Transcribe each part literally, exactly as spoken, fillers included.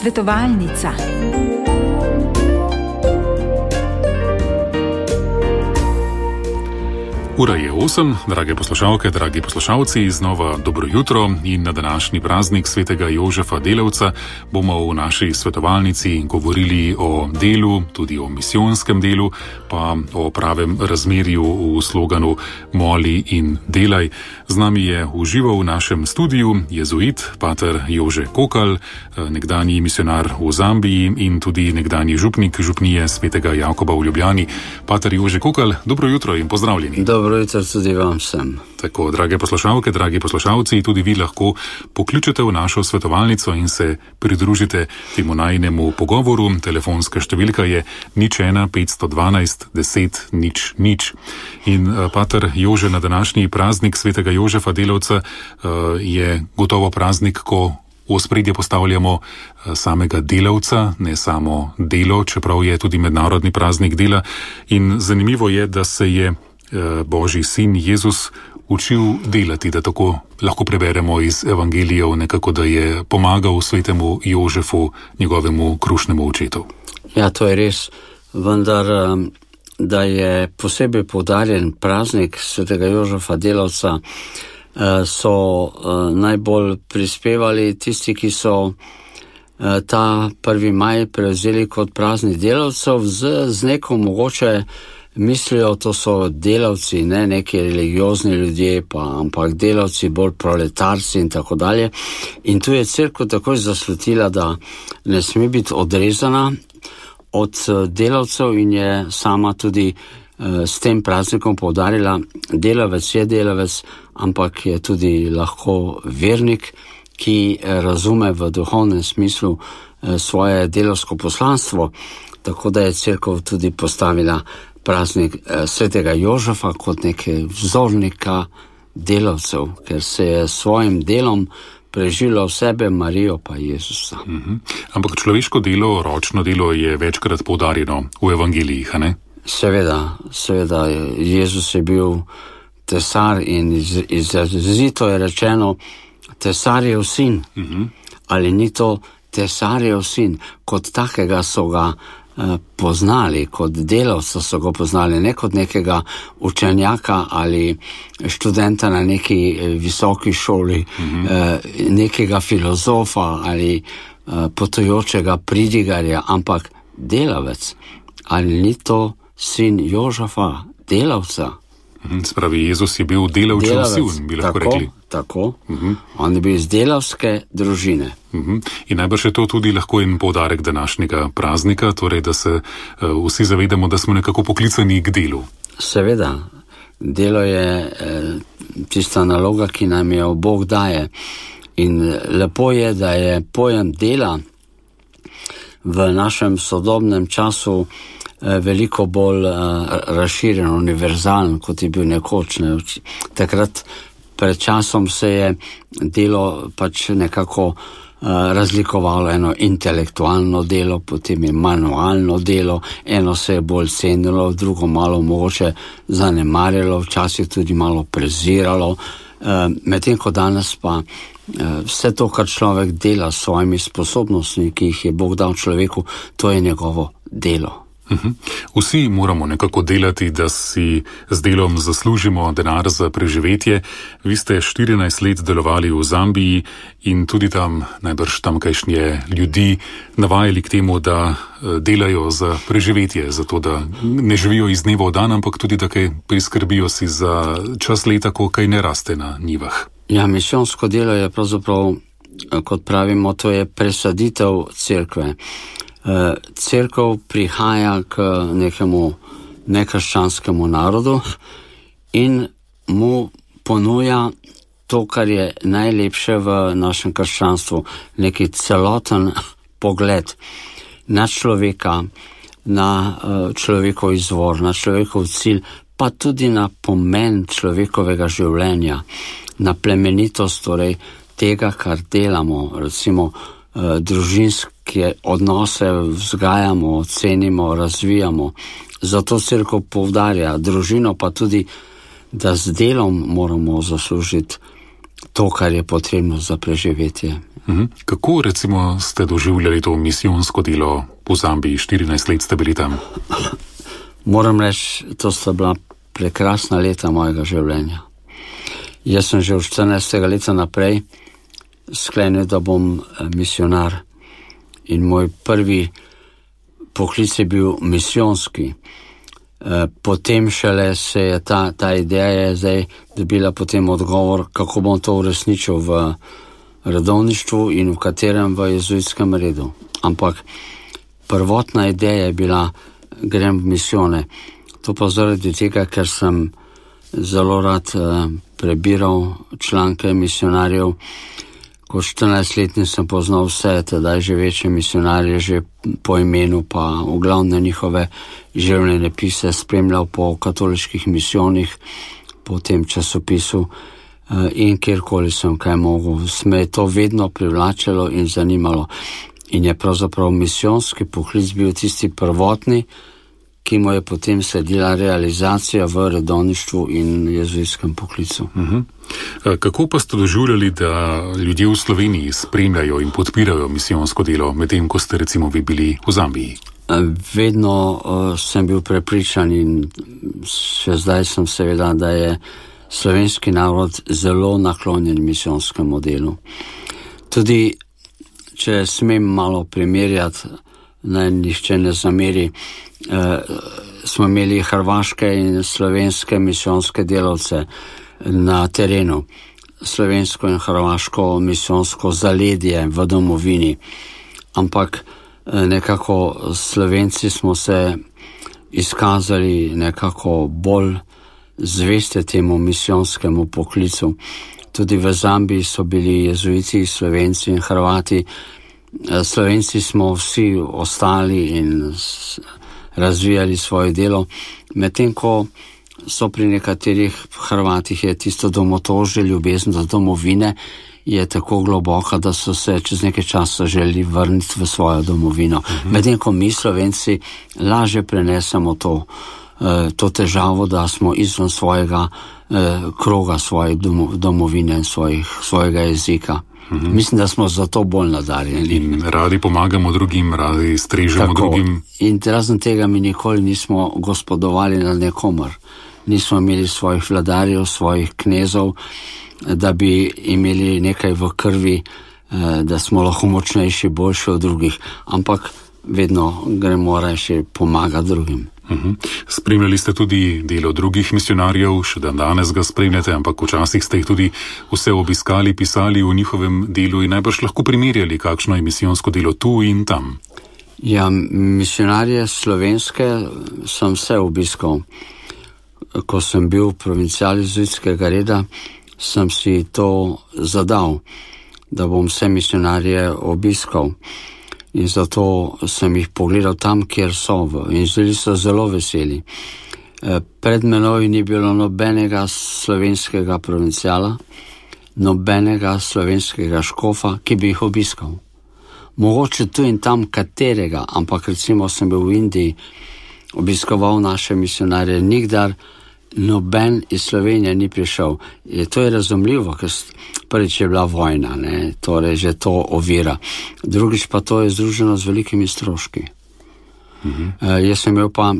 Svetovalnica. Ura je osem, drage poslušalke, dragi poslušalci, znova dobro jutro in na današnji praznik svetega Jožefa Delavca bomo v naši svetovalnici govorili o delu, tudi o misijonskem delu, pa o pravem razmerju v sloganu Moli in delaj. Z nami je v živo v našem studiu jezuit, pater Jože Kokal, nekdanji misionar v Zambiji in tudi nekdanji župnik župnije svetega Jakoba v Ljubljani. Pater Jože Kokal, dobro jutro in pozdravljeni. Dobro. Dobro jutro tudi vam vsem. Tako, drage poslušalke, dragi poslušalci, tudi vi lahko pokličete v našo svetovalnico in se pridružite temu najinemu pogovoru. Telefonska številka je nič ena petsto dvanajst deset nič nič. In pater Jože, na današnji praznik svetega Jožefa Delavca je gotovo praznik, ko v ospredje postavljamo samega delavca, ne samo delo, čeprav je tudi mednarodni praznik dela. In zanimivo je, da se je Božji sin Jezus učil delati, da tako lahko preberemo iz evangelijev nekako, da je pomagal svetemu Jožefu, njegovemu krušnemu očetu. Ja, to je res, vendar da je posebej poudarjen praznik svetega Jožefa Delavca, so najbolj prispevali tisti, ki so ta prvi maj prevzeli kot praznik delavcev z, z neko mogoče mislijo, to so delavci, ne neki religiozni ljudje, pa, ampak delavci, bolj proletarci in tako dalje. In tu je cerkev takoj zaslutila, da ne sme biti odrezana od delavcev in je sama tudi eh, s tem praznikom poudarila, delavec je delavec, ampak je tudi lahko vernik, ki razume v duhovnem smislu eh, svoje delavsko poslanstvo, tako da je cerkev tudi postavila praznik svetega Jožefa kot neke vzornika delavcev, ker se je svojim delom prežilo sebe, Marijo pa Jezusa. Mm-hmm. Ampak človeško delo, ročno delo je večkrat poudarjeno v evangelijih, a ne? Seveda, seveda, Jezus je bil tesar in izrazito je rečeno tesarjev sin. Mm-hmm. Ali ni to tesarjev sin? Kot takega so ga poznali, kot delavca so ga poznali, ne kot nekega učenjaka ali študenta na neki visoki šoli, mm-hmm. nekega filozofa ali potujočega pridigarja, ampak delavec. Ali ni to sin Jožefa, delavca? Spravi, Jezus je bil delavčev sin, bi lahko tako, rekli. Tako, uh-huh. On je bil iz delavske družine. Uh-huh. In najbrž je to tudi lahko en poudarek današnjega praznika, torej da se uh, vsi zavedamo, da smo nekako poklicani k delu. Seveda, delo je eh, tista naloga, ki nam jo Bog daje. In lepo je, da je pojem dela v našem sodobnem času veliko bolj uh, razširjen, univerzalen, kot je bil nekoč. Ne. Takrat pred časom se je delo pač nekako uh, razlikovalo, eno intelektualno delo, potem je manualno delo, eno se je bolj cenilo, drugo malo mogoče zanemarjalo, včasih tudi malo preziralo, uh, medtem ko danes pa uh, vse to, kar človek dela s svojimi sposobnostmi, ki jih je Bog dal človeku, to je njegovo delo. Uhum. Vsi moramo nekako delati, da si z delom zaslužimo denar za preživetje. Vi ste štirinajst let delovali v Zambiji in tudi tam najbrž tamkajšnje ljudi navajali k temu, da delajo za preživetje, zato da ne živijo iz dneva v dan, ampak tudi da kaj priskrbijo si za čas leta, ko kaj ne raste na njivah. Ja, misijonsko delo je pravzaprav, kot pravimo, to je presaditev cerkve. Cerkev prihaja k nekemu nekrščanskemu narodu in mu ponuja to, kar je najlepše v našem krščanstvu, neki celoten pogled na človeka, na človekov izvor, na človekov cilj, pa tudi na pomen človekovega življenja, na plemenitost torej tega, kar delamo, recimo družinske odnose vzgajamo, cenimo, razvijamo. Zato cerkev poudarja družino, pa tudi, da z delom moramo zaslužiti to, kar je potrebno za preživetje. Mhm. Kako recimo ste doživljali to misijonsko delo v Zambiji? štirinajst let ste bili tam. Moram reči, to sta bila prekrasna leta mojega življenja. Jaz sem že od štirinajstega leta naprej sklenil, da bom misionar. In moj prvi poklic je bil misijonski. Potem šele se je ta, ta ideja je zdaj dobila potem odgovor, kako bom to uresničil v redovništvu in v katerem v jezuitskem redu. Ampak prvotna ideja je bila, grem v misijone. To pa zaradi tega, ker sem zelo rad eh, prebiral članke misionarjev. Ko štirinajstletni sem poznal vse, tedaj že večje misionarje, že po imenu, pa v glavne njihove življenjske pise spremljal po katoliških misijonih, po tem časopisu eh, in kjerkoli sem kaj mogel. Me je to vedno privlačilo in zanimalo. In je pravzaprav misijonski poklic bil tisti prvotni, ki mu je potem sledila realizacija v redovništvu in jezuitskem poklicu. Uh-huh. Kako pa ste doživljali, da ljudje v Sloveniji spremljajo in podpirajo misijonsko delo, medtem ko ste recimo vi bili v Zambiji? Vedno uh, sem bil prepričan in še zdaj sem seveda, da je slovenski narod zelo naklonjen misijonskemu delu. Tudi, če smem malo primerjati, naj nihče ne zameri, eh, smo imeli hrvaške in slovenske misijonske delavce na terenu. Slovensko in hrvaško misijonsko zaledje v domovini. Ampak eh, nekako Slovenci smo se izkazali nekako bolj zveste temu misijonskemu poklicu. Tudi v Zambiji so bili jezuiti, Slovenci in Hrvati. Slovenci smo vsi ostali in razvijali svoje delo, medtem ko so pri nekaterih Hrvatih je tisto domotožje, ljubezen do domovine je tako globoka, da so se čez nekaj časa želeli vrniti v svojo domovino. Uh-huh. Medtem ko mi Slovenci lažje prenesemo to, to težavo, da smo izven svojega kroga, svoje domovine, svojih, svojega jezika. Mm-hmm. Mislim, da smo zato bolj nadarjeni. In radi pomagamo drugim, radi strežemo Tako. drugim. In razen tega mi nikoli nismo gospodovali na nekomor. Nismo imeli svojih vladarjev, svojih knezov, da bi imeli nekaj v krvi, da smo lahko močnejši, boljši od drugih. Ampak vedno gremo reči pomagati drugim. Uhum. Spremljali ste tudi delo drugih misionarjev, še dan danes ga spremljate, ampak včasih ste jih tudi vse obiskali, pisali o njihovem delu in najbrž lahko primerjali, kakšno je misijonsko delo tu in tam. Ja, misionarje slovenske sem vse obiskal. Ko sem bil provincial jezuitskega reda, sem si to zadal, da bom vse misionarje obiskal. In zato sem jih pogledal tam, kjer so, in bili so zelo veseli. Pred menoj ni bilo nobenega slovenskega provinciala, nobenega slovenskega škofa, ki bi jih obiskal. Mogoče tu in tam katerega, ampak recimo sem bil v Indiji, obiskoval naše misionarje, nikdar noben iz Slovenije ni prišel. Je, to je razumljivo, ker prvič je bila vojna, ne, torej že to ovira. Drugič pa to je združeno z velikimi stroški. Mhm. E, jaz sem imel pa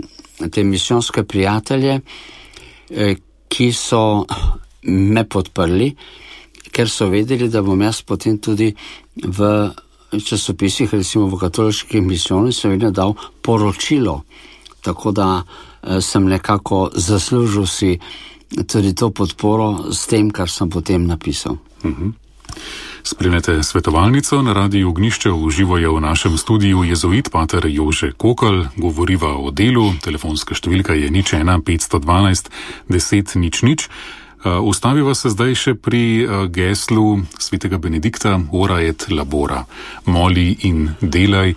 te misijonske prijatelje, e, ki so me podprli, ker so vedeli, da bom jaz potem tudi v časopisih, recimo v katoliških misijonih, seveda dal poročilo, tako da sem nekako zaslužil si tudi to podporo s tem, kar sem potem napisal. Uh-huh. Spremljate svetovalnico na Radiu Ognjišče, uživajo v našem studiu jezuit pater Jože Kokl, govoriva o delu, telefonska številka je nič ena petsto dvanajst deset nič nič. Ustaviva se zdaj še pri geslu svetega Benedikta Ora et labora, moli in delaj,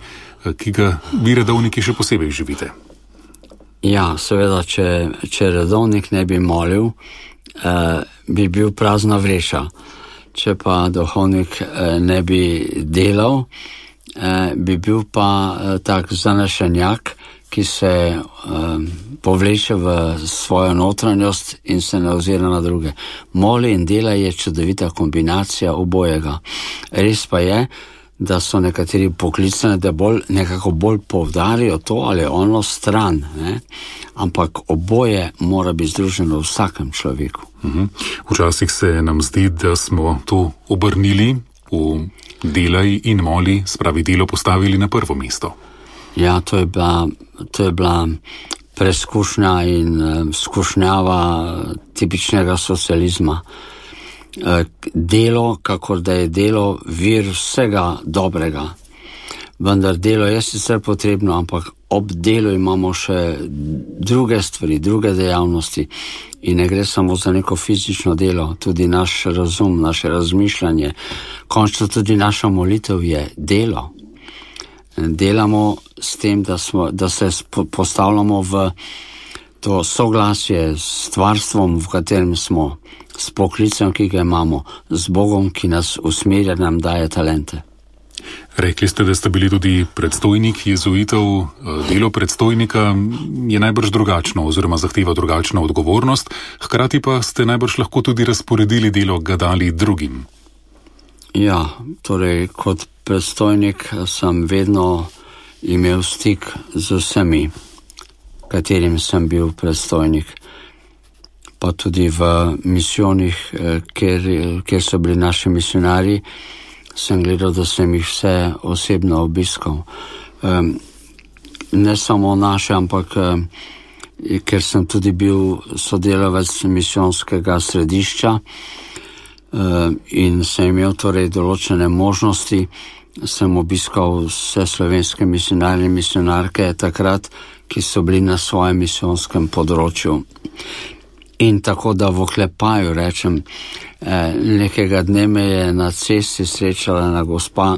ki ga vi redovniki še posebej živite. Ja, seveda, če, če redovnik ne bi molil, eh, bi bil prazna vreša. Če pa duhovnik eh, ne bi delal, eh, bi bil pa eh, tak zanešenjak, ki se um, povleče v svojo notranjost in se ne ozira na druge. Moli in dela je čudovita kombinacija obojega. Res pa je, da so nekateri poklicani, da bolj, nekako bolj povdarijo to ali ono stran, ne? Ampak oboje mora biti združeno v vsakem človeku. Uhum. Včasih se nam zdi, da smo to obrnili v delaj in moli, spravi delo postavili na prvo mesto. Ja, to je bila, to je bila preskušnja in uh, skušnjava tipičnega socializma. Delo, kakor da je delo vir vsega dobrega. Vendar delo je sicer potrebno, ampak ob delu imamo še druge stvari, druge dejavnosti in ne gre samo za neko fizično delo, tudi naš razum, naše razmišljanje, končno tudi naša molitev je delo. Delamo s tem, da, smo, da se postavljamo v to soglasje s stvarstvom, v katerem smo, s poklicem, ki ga imamo, z Bogom, ki nas usmerja, nam daje talente. Rekli ste, da ste bili tudi predstojnik jezuitov. Delo predstojnika je najbrž drugačno oziroma zahteva drugačno odgovornost, hkrati pa ste najbrž lahko tudi razporedili delo, ga dali drugim. Ja, torej kot predstojnik sem vedno imel stik z vsemi, katerim sem bil predstojnik. Pa tudi v misijonih, kjer, kjer so bili naši misionarji, sem gledal, da sem jih vse osebno obiskal. Um, ne samo naše, ampak um, ker sem tudi bil sodelavec misijonskega središča um, in sem imel torej določene možnosti, sem obiskal vse slovenske misionarje in misionarke takrat, ki so bili na svojem misijonskem področju. In tako da v oklepaju rečem, eh, nekega dne me je na cesti srečala ena gospa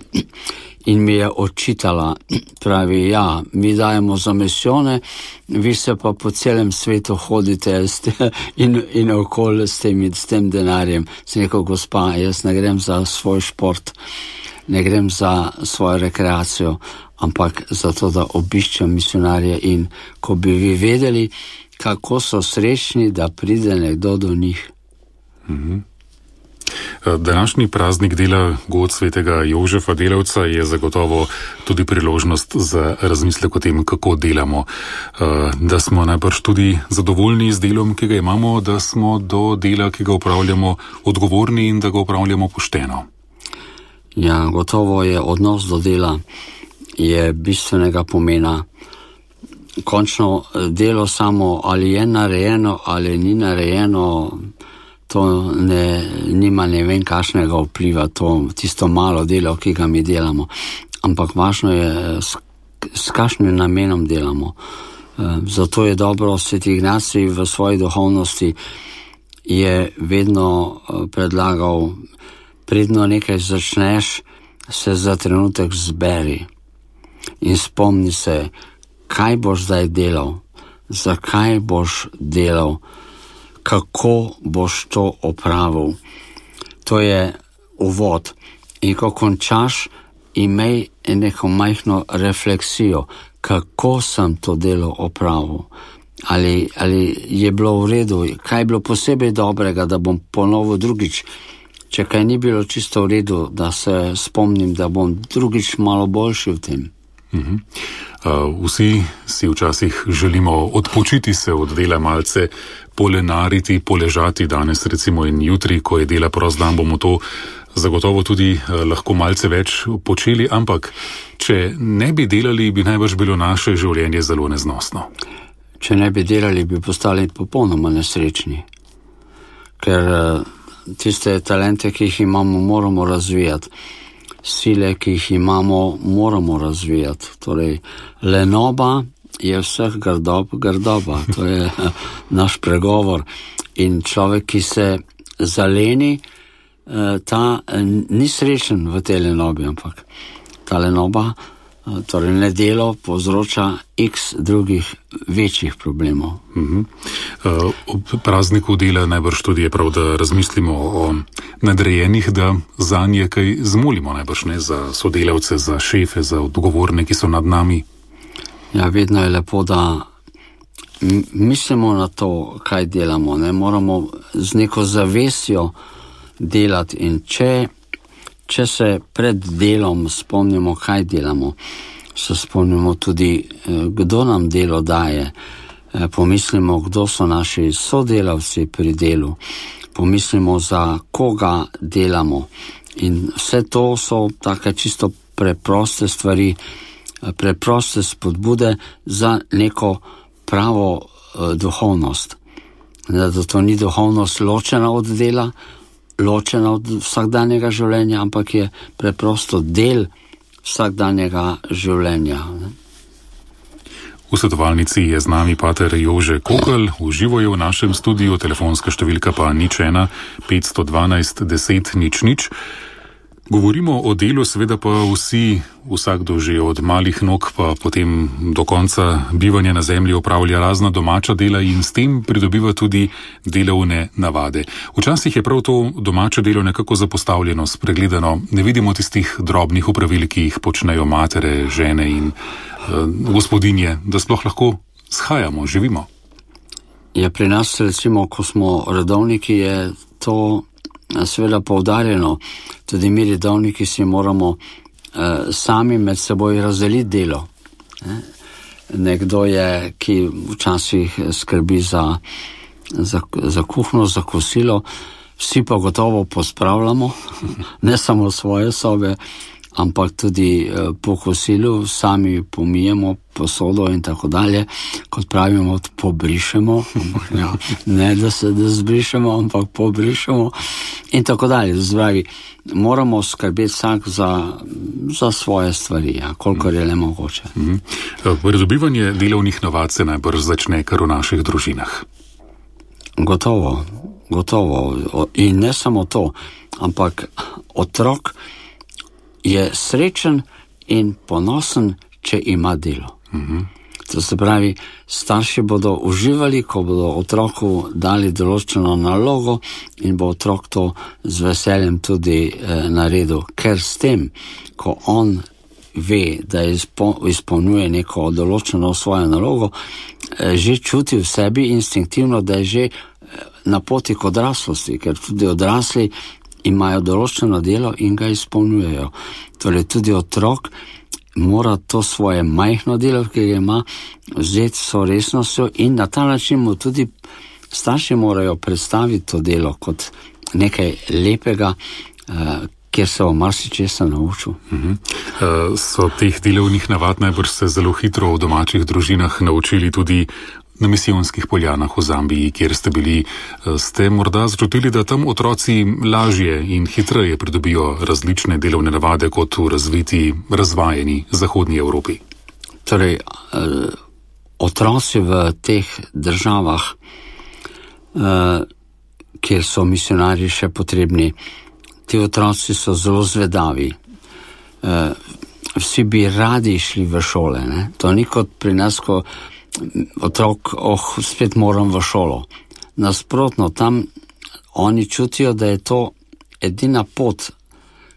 in mi je očitala, pravi, ja, mi dajemo za misijone, vi se pa po celem svetu hodite in, in okoli s tem, s tem denarjem. Sem rekel, gospa, jaz ne grem za svoj šport, ne grem za svojo rekreacijo, ampak za to, da obiščem misionarje in ko bi vi vedeli, kako so srečni, da pride nekdo do njih. Mm-hmm. Današnji praznik dela god svetega Jožefa Delavca je zagotovo tudi priložnost za razmislek o tem, kako delamo. Da smo najbrž tudi zadovoljni z delom, ki ga imamo, da smo do dela, ki ga upravljamo, odgovorni in da ga upravljamo pošteno. Ja, gotovo je odnos do dela je bistvenega pomena. Končno delo samo ali je narejeno ali ni narejeno, to ne, nima ne vem kakšnega vpliva, to tisto malo delo, ki ga mi delamo. Ampak važno je, s, s kakšnim namenom delamo. Zato je dobro, Sveti Ignacij v svoji duhovnosti je vedno predlagal, predno nekaj začneš, se za trenutek zberi in spomni se, kaj boš zdaj delal, zakaj boš delal, kako boš to opravil. To je uvod. In ko končaš, imej neko majhno refleksijo, kako sem to delo opravil. Ali, ali je bilo v redu, kaj je bilo posebej dobrega, da bom ponovil drugič. Če kaj ni bilo čisto v redu, da se spomnim, da bom drugič malo boljši v tem. Uh-huh. Uh, vsi si včasih želimo odpočiti se od dela, malce polenariti, poležati danes recimo in jutri, ko je dela prost dan, bomo to zagotovo tudi uh, lahko malce več počeli, ampak če ne bi delali, bi najbrž bilo naše življenje zelo neznosno. Če ne bi delali, bi postali popolnoma nesrečni, ker uh, tiste talente, ki jih imamo, moramo razvijati. Sile, ki jih imamo, moramo razvijati. Torej, lenoba je vseh grdob, grdoba. To je naš pregovor. In človek, ki se zaleni, ta ni srečen v tej lenobi, ampak ta lenoba, torej nedelo, povzroča x drugih večjih problemov. Uh-huh. Ob prazniku dela najbrž tudi je prav, da razmislimo o nadrejenih, da za nje kaj zmolimo, najbrž ne za sodelavce, za šefe, za odgovorne, ki so nad nami. Ja, vedno je lepo, da mislimo na to, kaj delamo. Ne? Moramo z neko zavestjo delati in če, če se pred delom spomnimo, kaj delamo, se spomnimo tudi, kdo nam delo daje. Pomislimo, kdo so naši sodelavci pri delu. Pomislimo, za koga delamo. In vse to so take čisto preproste stvari, preproste spodbude za neko pravo uh, duhovnost. Da to ni duhovnost ločena od dela, ločena od vsakdanjega življenja, ampak je preprosto del vsakdanjega življenja. Ne? V svetovalnici je z nami pater Jože Kokelj, uživo je v našem studiu, telefonska številka pa nič ena petsto dvanajst deset nič nič. Govorimo o delu, seveda pa vsi, vsakdo že od malih nog pa potem do konca bivanja na zemlji opravlja razna domača dela in s tem pridobiva tudi delovne navade. Včasih je prav to domače delo nekako zapostavljeno, spregledano. Ne vidimo tistih drobnih opravil, ki jih počnejo matere, žene in uh, gospodinje, da sploh lahko shajamo, živimo. Ja, pri nas recimo, ko smo redovniki, je to seveda poudarjeno. Tudi mi redovniki si moramo eh, sami med seboj razdeliti delo. Ne? Nekdo je, ki včasih skrbi za, za, za kuhno, za kosilo, vsi pa gotovo pospravljamo, ne samo svoje sobe, ampak tudi eh, po kosilu sami pomijemo posodo in tako dalje, kot pravimo, pobrišemo, ja, ne da se da zbrišemo, ampak pobrišemo in tako dalje. Zdravi, moramo skrbeti vsak za, za svoje stvari, ja, kolikor je le mogoče. Mm-hmm. Pridobivanje delovnih navad se najbrž začne kar v naših družinah. Gotovo, gotovo. In ne samo to, ampak otrok je srečen in ponosen, če ima delo. Mm-hmm. To se pravi, starši bodo uživali, ko bodo otroku dali določeno nalogo in bo otrok to z veseljem tudi eh, naredil. Ker s tem, ko on ve, da izpo, izpolnjuje neko določeno svojo nalogo, eh, že čuti v sebi instinktivno, da je že eh, na poti k odraslosti, ker tudi odrasli imajo določeno delo in ga izpolnjujejo. Torej tudi otrok mora to svoje majhno delo, ki ga ima, vzeti so resnostjo in na ta način mu tudi starši morajo predstaviti to delo kot nekaj lepega, eh, kjer se bo marsičesa naučil. Uh-huh. Uh, so teh delovnih navad najbrž se zelo hitro v domačih družinah naučili tudi na misijonskih poljanah v Zambiji, kjer ste bili. Ste morda začutili, da tam otroci lažje in hitreje pridobijo različne delovne navade kot v razviti, razvajeni zahodnji Evropi? Torej, otroci v teh državah, kjer so misionarji še potrebni, ti otroci so zelo zvedavi. Vsi bi radi šli v šole, ne? To ni kot pri nas, ko otrok, oh, spet moram v šolo. Nasprotno, tam oni čutijo, da je to edina pot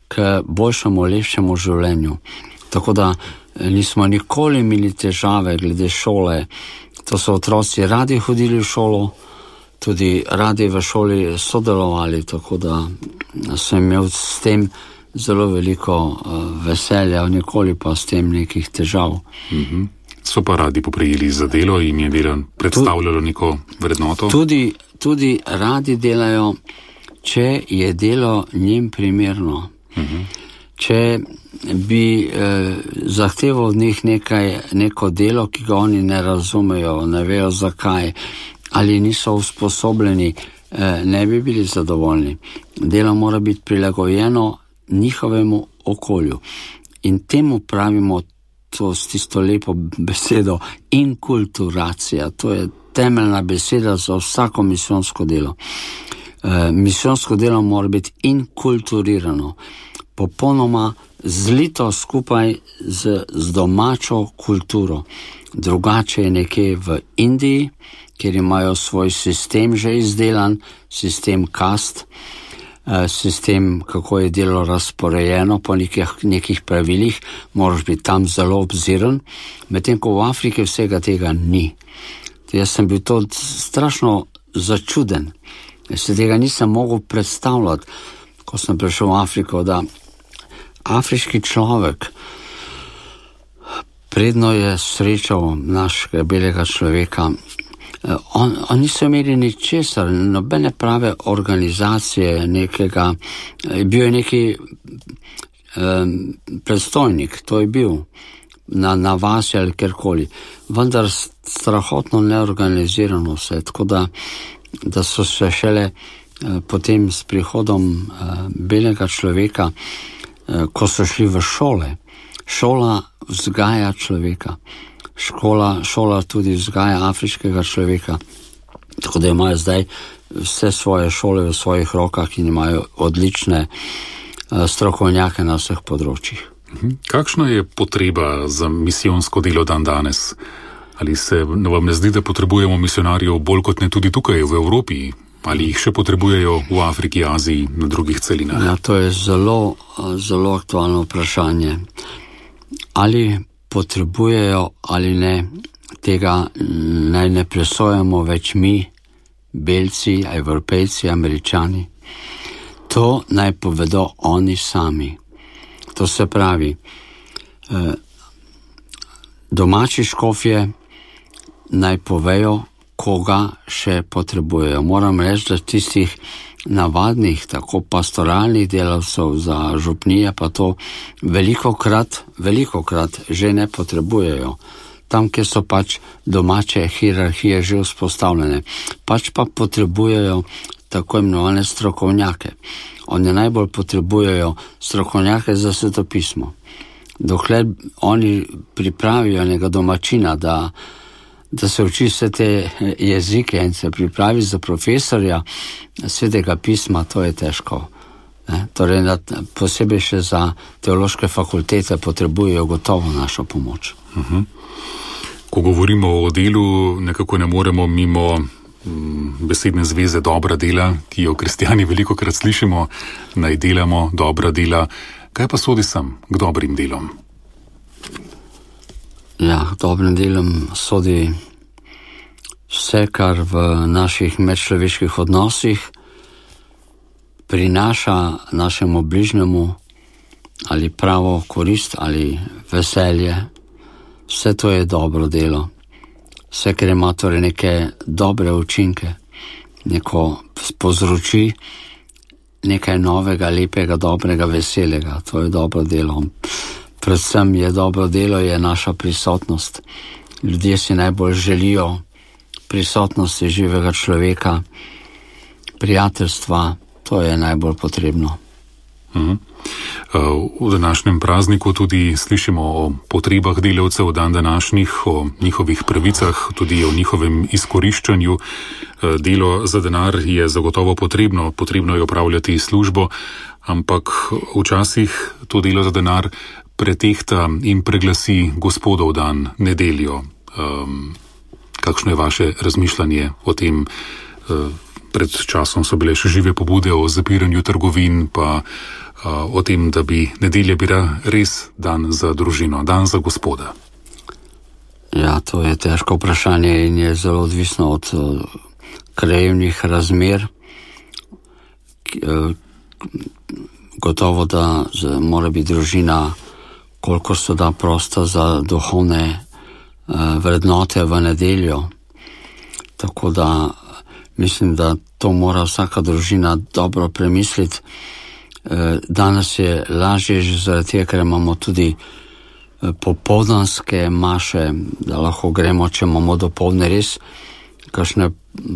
k boljšemu, lepšemu življenju. Tako da nismo nikoli imeli težave glede šole. To so otroci radi hodili v šolo, tudi radi v šoli sodelovali, tako da sem imel s tem zelo veliko uh, veselja, nikoli pa s tem nekih težav. Mhm. So pa radi poprijeli za delo in je delo predstavljalo neko vrednoto? Tudi, tudi radi delajo, če je delo njim primerno. Uh-huh. Če bi eh, zahteval od njih nekaj, neko delo, ki ga oni ne razumejo, ne vejo zakaj, ali niso usposobljeni, eh, ne bi bili zadovoljni. Delo mora biti prilagojeno njihovemu okolju. In temu pravimo to s tisto lepo besedo inkulturacija. To je temeljna beseda za vsako misijonsko delo. E, misijonsko delo mora biti inkulturirano, popolnoma zlito skupaj z, z domačo kulturo. Drugače je nekje v Indiji, kjer imajo svoj sistem že izdelan, sistem kast. sistem, kako je delo razporejeno po nekih, nekih pravilih, moraš biti tam zelo obziren, medtem ko v Afriki vsega tega ni. Jaz sem bil to strašno začuden. Jaz se tega nisem mogel predstavljati, ko sem prišel v Afriko, da afriški človek, predno je srečal našega belega človeka, on, on niso imeli ničesar, nobene prave organizacije, nekega, bil je neki um, predstojnik, to je bil, na, na vasi ali kjerkoli, vendar strahotno neorganizirano vse, tako da, da so se šele uh, potem s prihodom uh, belega človeka, uh, ko so šli v šole, šola vzgaja človeka. Škola, šola tudi vzgaja afriškega človeka. Tako da imajo zdaj vse svoje šole v svojih rokah in imajo odlične uh, strokovnjake na vseh področjih. Kakšna je potreba za misijonsko delo dan danes? Ali se vam ne zdi, da potrebujemo misionarjev bolj kot ne tudi tukaj v Evropi? Ali jih še potrebujejo v Afriki, Aziji, na drugih celinah? Ja, to je zelo, zelo aktualno vprašanje. Ali potrebujejo ali ne, tega naj ne presojamo več mi, Belci, Evropejci, Američani. To naj povedo oni sami. To se pravi, eh, domači škofje naj povejo, koga še potrebujejo. Moram reči, da tistih navadnih, tako pastoralnih delavcev za župnije, pa to velikokrat, velikokrat že ne potrebujejo. Tam, kjer so pač domače hierarhije že vzpostavljene, pač pa potrebujejo tako imenovane strokovnjake. Oni najbolj potrebujejo strokovnjake za svetopismo. Dokler oni pripravijo nekega domačina, da da se uči vse te jezike in se pripravi za profesorja svetega pisma, to je težko. Ne? Torej, posebej še za teološke fakultete potrebujejo gotovo našo pomoč. Uh-huh. Ko govorimo o delu, nekako ne moremo mimo mm, besedne zveze dobra dela, ki jo kristjani velikokrat slišimo, naj delamo dobra dela. Kaj pa sodi sem k dobrim delom? Ja, dobrim delom sodi vse, kar v naših medčloveških odnosih prinaša našemu bližnjemu ali pravo korist ali veselje. Vse to je dobro delo. Vse, kar ima torej neke dobre učinke, neko povzroči nekaj novega, lepega, dobrega, veselega. To je dobro delo. Predvsem je dobro delo, je naša prisotnost. Ljudje si najbolj želijo prisotnosti živega človeka, prijateljstva, to je najbolj potrebno. Uh-huh. V današnjem prazniku tudi slišimo o potrebah delavcev dan današnjih, o njihovih pravicah, tudi o njihovem izkoriščanju. Delo za denar je zagotovo potrebno, potrebno je opravljati službo, ampak včasih to delo za denar pretehta in preglasi Gospodov dan, nedeljo. Um, kakšno je vaše razmišljanje o tem? Uh, pred časom so bile še žive pobude o zapiranju trgovin, pa uh, o tem, da bi nedelja bila res dan za družino, dan za Gospoda. Ja, to je težko vprašanje in je zelo odvisno od uh, krajevnih razmer. Uh, gotovo, da z, mora biti družina koliko se da prosto za duhovne uh, vrednote v nedeljo. Tako da mislim, da to mora vsaka družina dobro premisliti. Uh, danes je lažje že zaradi tega, ker imamo tudi uh, popoldanske maše, da lahko gremo, če imamo dopoldne res kakšne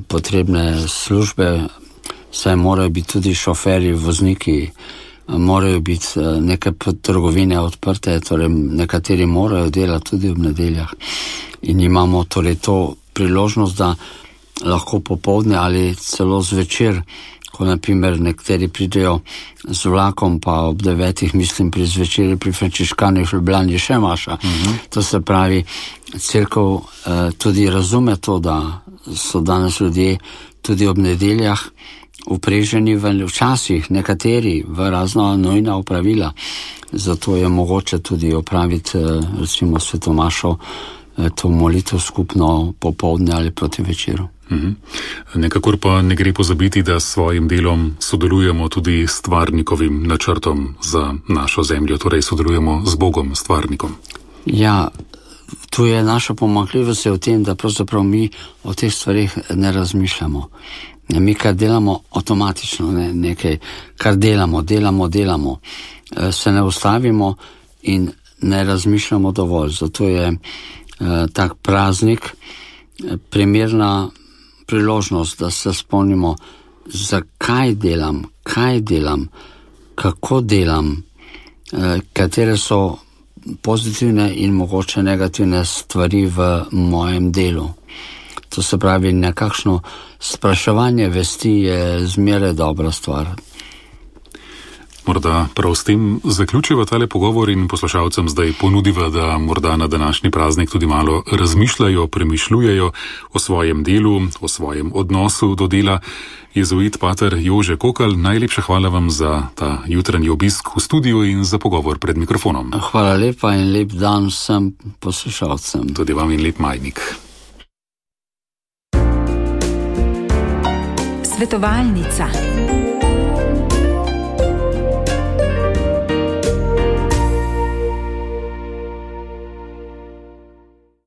potrebne službe, saj morajo biti tudi šoferji, vozniki, morajo biti neke trgovine odprte, torej nekateri morajo delati tudi v nedeljah. In imamo torej to priložnost, da lahko popoldne ali celo zvečer, ko naprimer nekateri pridejo z vlakom, pa ob devetih, mislim, pri zvečeri pri frančiškanih v Ljubljani še maša. Uh-huh. To se pravi, cerkev eh, tudi razume to, da so danes ljudje tudi ob nedeljah upreženi v včasih nekateri v razno nujna opravila. Zato je mogoče tudi opraviti recimo svetomašo, to molitev skupno popoldne ali proti večeru. Mhm. Nekakor pa ne gre pozabiti, da s svojim delom sodelujemo tudi s stvarnikovim načrtom za našo zemljo, torej sodelujemo z Bogom, stvarnikom. Ja, tu je naša pomanjkljivost v tem, da pravzaprav mi o teh stvarih ne razmišljamo. Mi kar delamo avtomatično, ne, nekaj, kar delamo, delamo, delamo, se ne ustavimo in ne razmišljamo dovolj. Zato je eh, tak praznik primerna priložnost, da se spomnimo, zakaj delam, kaj delam, kako delam, eh, katere so pozitivne in mogoče negativne stvari v mojem delu. To se pravi, nekakšno spraševanje vesti je zmeraj dobra stvar. Morda prav s tem zaključiva tale pogovor in poslušalcem zdaj ponudiva, da morda na današnji praznik tudi malo razmišljajo, premišljujejo o svojem delu, o svojem odnosu do dela. Jezuit pater Jože Kokal, najlepša hvala vam za ta jutranji obisk v studiu in za pogovor pred mikrofonom. Hvala lepa in lep dan vsem poslušalcem. Tudi vam in lep majnik. Svetovalnica.